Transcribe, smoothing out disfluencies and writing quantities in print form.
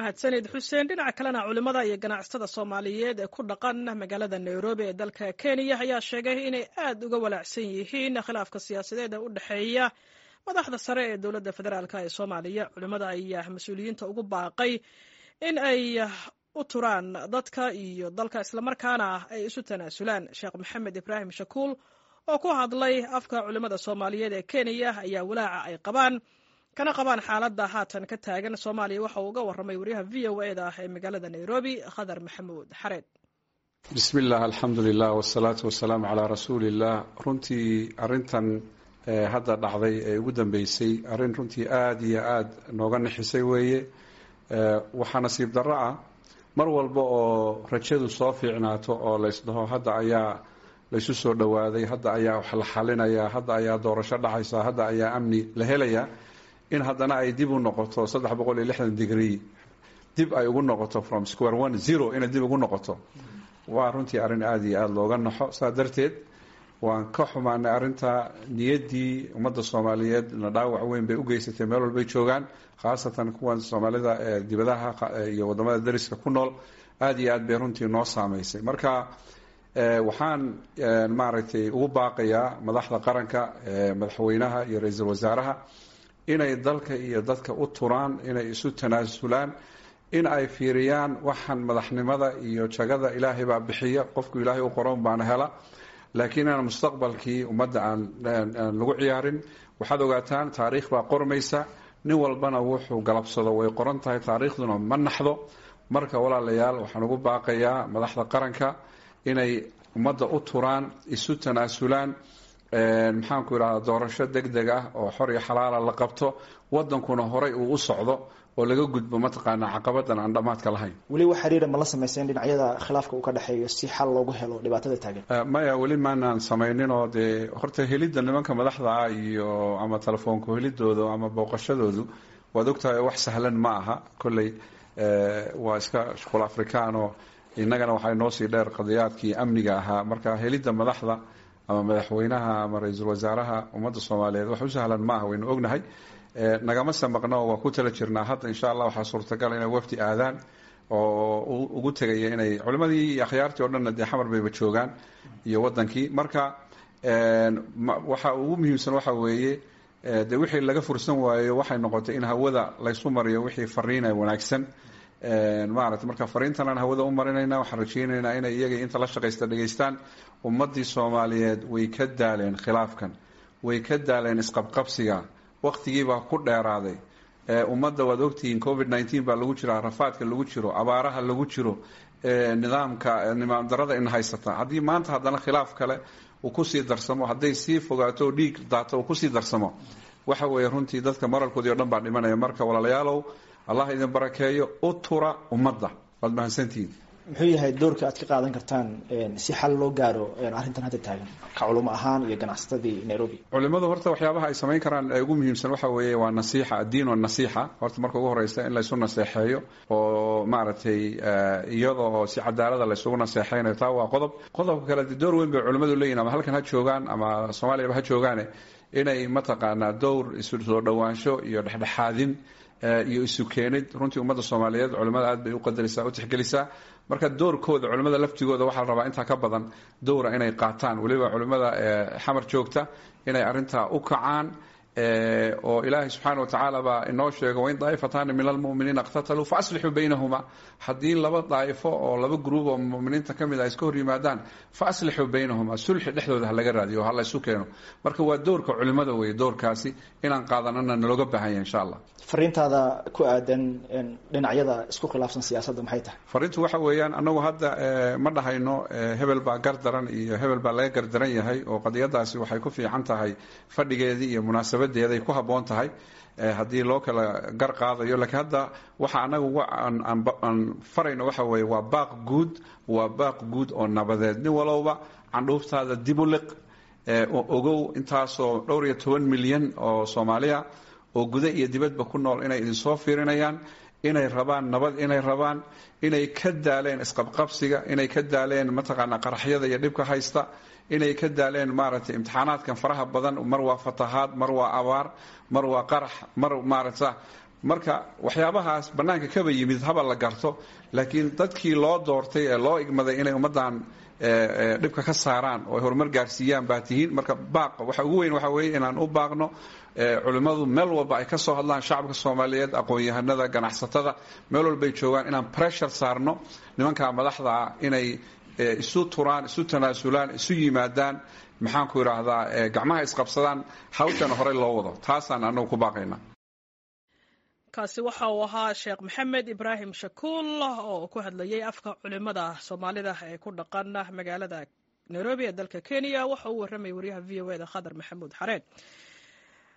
Mahadsanid, Xuseen. Dhinaca kalena, culimmada iyo ganacsatada Soomaaliyeed ee ku dhaqan magaalada Nairobi ee dalka Kenya ayaa sheegay inay aad uga walaacsan yihiin khilaafka siyaasadeed ee u dhexeeya madaxda sare ee dowladda federaalka ee Soomaaliya. Culimmada ayaa mas-uuliyiinta ugu baaqay in ay u turaan dadka iyo dalka, islamarkaana ay isu tanaasulaan. Sheekh Maxamed Ibraahim Shakuul oo ku hadlay afka culimmada Soomaaliyeed ee Kenya ayaa walaaca ay qabaan kana qabaan xaaladda haatan ka taagan Soomaaliya waxa uu uga warramay wariyaha VOA da ee magaalada Nairobi, Khadar Maxamuud Xareed. Bismi illah, alxamdu lilah, wasalaatu wasalaamu calaa rasuuliillah. Runtii arrintan hadda dhacday ee ugu dambeysay arrin runtii aada iyo aada nooga nixisay weeye. Waxaa nasiib darro ah, mar walba oo rajadu soo fiicnaato oo laysdhaho hadda ayaa laysu soo dhowaaday, hadda ayaa wax la xalinayaa, hadda ayaa doorasho dhacaysa, hadda ayaa amni la helayaa, in haddana ay dib u noqoto 360 degree, dib ay ugu noqoto from square one zero, inay dib ugu noqoto, waa runtii arrin aada iyo aada looga naxo. Saa darteed waan ka xumaanay arrinta. Niyaddii ummadda Soomaaliyeed na dhaawac weyn bay u geysatay meel walbay joogaan, khaasatan kuwan Soomaalida ee dibadaha iyo waddamada dariska ku nool. Aada iyo aad bay runtii noo saameysay. Marka waxaan maaragtay ugu baaqayaa madaxda qaranka, madaxweynaha iyo ra-iisul wasaaraha, inay dalka iyo dadka u turaan, inay isu tanaasulaan, in ay fiiriyaan waxaan madaxnimada iyo jagada Ilaahay baa bixiya, qofku Ilaahay u qoran baana hela, laakiin inaan mustaqbalkii ummadda aan lagu ciyaarin. Waxaad ogaataan taariikh baa qormaysa, nin walbana wuxuu galabsado way qoran tahay, taariikhduna ma naxdo. Marka walaalayaal, waxaan ugu baaqayaa madaxda qaranka inay ummadda u turaan, isu tanaasulaan, maxaanku idhahdaa, doorasho deg deg ah oo xor iyo xalaala la qabto, wadankuna horay uu u socdo oo laga gudbo mataqaanaa caqabadan aan dhammaadka lahayn. Weli wax xiriira ma la sameyseen dhinacyada khilaafka uu ka dhexeeyo si xal loogu helo dhibaatada taagan? Maya, weli maanaan samaynin. Oo dee horta helidda nimanka madaxda ah iyo ama telefoonku helidooda ama booqashadoodu, waad ogtahay, wax sahlan ma aha. Kolley waa iska shuqul Afrikaan oo innagana waxay noo sii dheer qadiyaadkii amniga ahaa. Marka helidda madaxda ama madaxweynaha ama ra-iisul wasaaraha ummadda Soomaaliyeed wax u sahlan ma aha, waynu ognahay. Nagama samaqno, waa ku tala jirnaa. Hadda insha Allah waxaa suurtagal inay wafdi aadaan oo ugu tegaya inay culimadii iyo akhyaartii o dhanna dee Xamar bayba joogaan iyo wadankii. Marka waxa ugu muhiimsan waxa weeye, dee wixii laga fursan waayo waxay noqotay in hawada laysu mariyo wixii fariina wanaagsan maarata. Marka fariintan aan hawada u marinayna, waxaan rajeynaynaa inay iyaga inta la shaqaysta dhegaystaan. Ummaddii Soomaaliyeed way ka daaleen khilaafkan, way ka daaleen isqabqabsiga, waqtigiibaa ku dheeraaday. Ummadda waad ogtihiin, COVID-19 baa lagu jiraa, rafaadka lagu jiro, abaaraha lagu jiro, nidaamka nidaam darada in haysata. Haddii maanta haddana khilaaf kale uu kusii darsamo, hadday sii fogaato oo dhiig daato uu kusii darsamo, waxa weeye runtii dadka moralkoodii o dhan baa dhimanaya. Marka walaalayaalow, Allah idin barakeeyo, u tura ummadda. Waad mahadsantihiin. Muxuu yahay doorka aad ka qaadan kartaan si xal loo gaaro arrintan hadda taagan, ka culimo ahaan iyo ganacsatadii Nairobi? Culimadu horta waxyaabaha ay samayn karaan ee ugu muhiimsan waxa weeye waa nasiixa, addiin wa nasiixa. Horta marka ugu horeysa in laysu naseexeeyo oo maaragtay iyada oo si cadaalada laysugu naseexeynayo, taa waa qodob. Qodobka kale, dee door weyn bay culimadu leeyihin, ama halkan ha joogaan ama Soomaaliyaba ha joogaane, inay mataqaanaa dowr isu soo dhowaansho iyo dhexdhexaadin iyo isu keenid. Runtii ummadda Soomaaliyeed culimada aad bay u qadarisaa, u tixgelisaa. Marka doorkooda culimada laftigooda waxaa la rabaa intaa ka badan dowra inay qaataan, weliba culimada Xamar joogta inay arrintaa u kacaan. Oo Ilaahay subxaana wa tacaala baa inoo sheego: "وإن طائفتان من المؤمنين اقتتلوا فأصلحوا بينهما". Haddii laba daa'ifo oo laba group oo muminiinta ka mid ah iska hor yimaadaan, فأصلحوا بينهما, sulxi dhexdooda ha laga raadiyo, ha la isu keeno. Marka waa doorka culimada weeye doorkaasi, inaan qaadanana nalooga baahan yahay insha Allah. Fariintaada ku aadan dhinacyada isku khilaafsan siyaasadda maxay tahay? Fariintu waxa weeyaan, annagu hadda ma dhahayno hebel baa gardaran iyo hebel baa laga gardaran yahay, oo qadiyadaasi waxay ku fiican tahay fadhigeedii iyo munaasabadeeday ku habboon tahay haddii loo kala gar qaadayo. Laakiin hadda waxa anagu aan farayno waxa weeye waa baaq guud, waa baaq guud oo nabadeed. Nin walowba candhuuftaada dib u liq. Ogow intaasoo dhowr iyo toban milyan oo Soomaaliya oo guda iyo dibadba ku nool inay idinsoo fiirinayaan, inay rabaan nabad, inay rabaan, inay ka daaleen isqabqabsiga, inay ka daaleen mataqaanaa qaraxyada iyo dhibka haysta, inay ka daaleen maaragtay imtixaanaadkan faraha badan. Mar waa fatahaad, mar waa abaar, mar waa qarax, mar maaragta Marka waxyaabahaas bannaanka kaba yimid haba la garto, laakiin dadkii loo doortay ee loo igmaday inay ummaddan dhibka ka saaraan oo ay horumar gaarsiiyaan baa tihiin. Marka baaqa waxa ugu weyn waxa weeye inaan u baaqno culimmadu meel walba ay ka soo hadlaan, shacabka Soomaaliyeed, aqoon-yahanada, ganacsatada, meel walbay joogaan, inaan pressure saarno nimanka madaxda ah inay isu turaan, isu tanaasulaan, isu yimaadaan, maxaan ku idhaahdaa, gacmaha isqabsadaan, hawshana horey loo wado. Taasaan anagu ku baaqaynaa. Kaasi waxa uu ahaa Sheekh Maxamed Ibraahim Shakuul oo ku hadlayay afka culimada Soomaalida ee ku dhaqan magaalada Nairobi ee dalka Kenya. Waxa uu warramayay wariyaha VOA da, Khadar Maxamuud Xareed.